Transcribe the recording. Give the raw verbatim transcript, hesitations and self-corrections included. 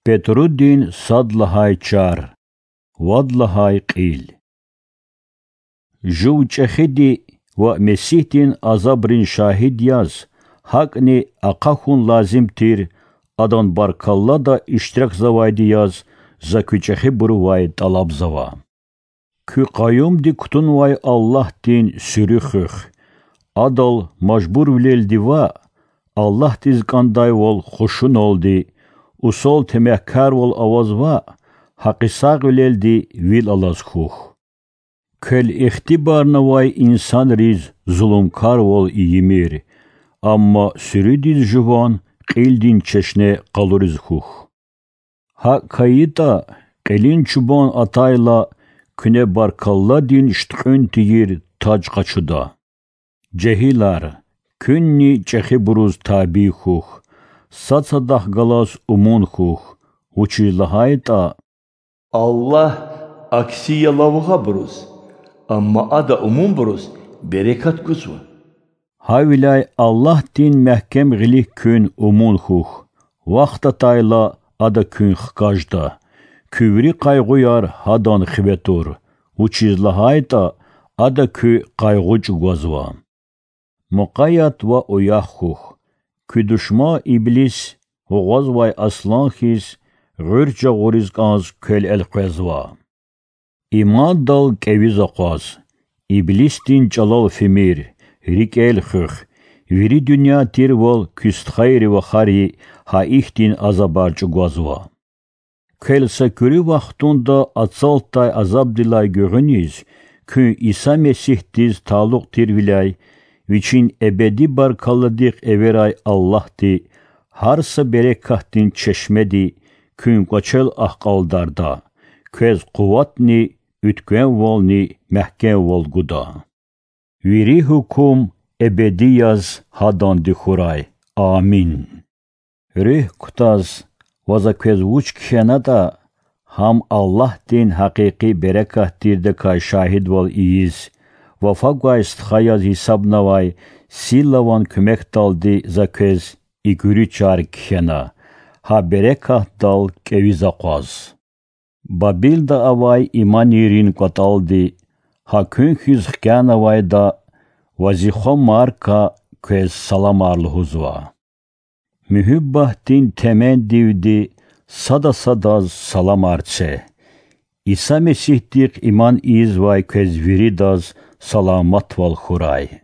Петрудин сад лагьай чар, вад лагьай кьил. Жув чӀехиди ва Месигьдин азабрин шагьид яз, гьакӀни ахъа хьун лазим тир, адан баркаллада иштиракзавайди яз за куь чӀехибурувай тӀалабзава. Куь къаюмди кутунвай Аллагьдин суьруь хуьх. Адал мажбурвилелди ваъ, Аллагьдиз кӀандайвал хушуналди, усал темягькарвал аваз ваъ, гьакъисагъвилелди вил алаз хьухь. Квел ихтибарнавай инсанриз зулумкарвал ийимир, амма суьруьдиз жуван кьилдин чешне къалуриз хьухь. ГьакӀ хьайитӀа, кьилин чубан атайла, куьне баркалладин шуьткьуьн тийир таж къачуда. Жегьилар, куьнни чӀехибуруз табий хьухь, сад-садахъ галаз умун хьухь, вучиз лагьайтӀа Аллагь акси я лавгьабуруз, амма Ада умунбуруз берекат гузва. Гьавиляй Аллагьдин мягькем гъилик куьн умун хьухь, вахт атайла, Ада куьн хкажда. Куь вири къайгъуяр Гьадан хиве тур, вучиз лагьайтӀа Ада куь къайгъу чӀугвазва. Мукъаят ва уях хьухь, куь душман Иблис, гъугъвазвай аслан хьиз, гъуьрт жагъуриз кӀанз квел элкъвезва. Имандал кӀевиз акъваз, Иблисдин чӀалал фимир, рикӀел хуьх, вири дуьнья тирвал куь стхайри вахари гьа ихьтин азабар чӀугвазва. Квел са куьруь вахтунда ацалтдай азабдилай гуьгъуьниз, куьн Иса Месигьдиз талукь тирвиляй, Вичин эбеди баркалладихъ эверай Аллагьди, гьар са берекатдин чешмеди куьн кӀвачел ахкьалдарда, квез къуватни уьтквемвални мягькемвал гуда. Вири гьукум эбеди яз Гьаданди хьурай. Амин. Руьгь кутаз ва за квез вуч кхьенатӀа, гьам Аллагьдин гьакъикъи берекат тирдакай шагьидвал ийиз, вафа гвай стха яз гьисабнавай силаван куьмекдалди за квез и куьруь чар кхьена, гьа берекатдал кӀевиз акъваз. Бабилда авай иманийрин кӀватӀалди, гьа куьн хьиз хкянавайда ва зи хва Марка квез саламар лугьузва. Муьгьуьббатдин темендивди сада садаз саламар це. Иса Месигьдихъ иман ийизвай квез виридаз саламатвал хьурай.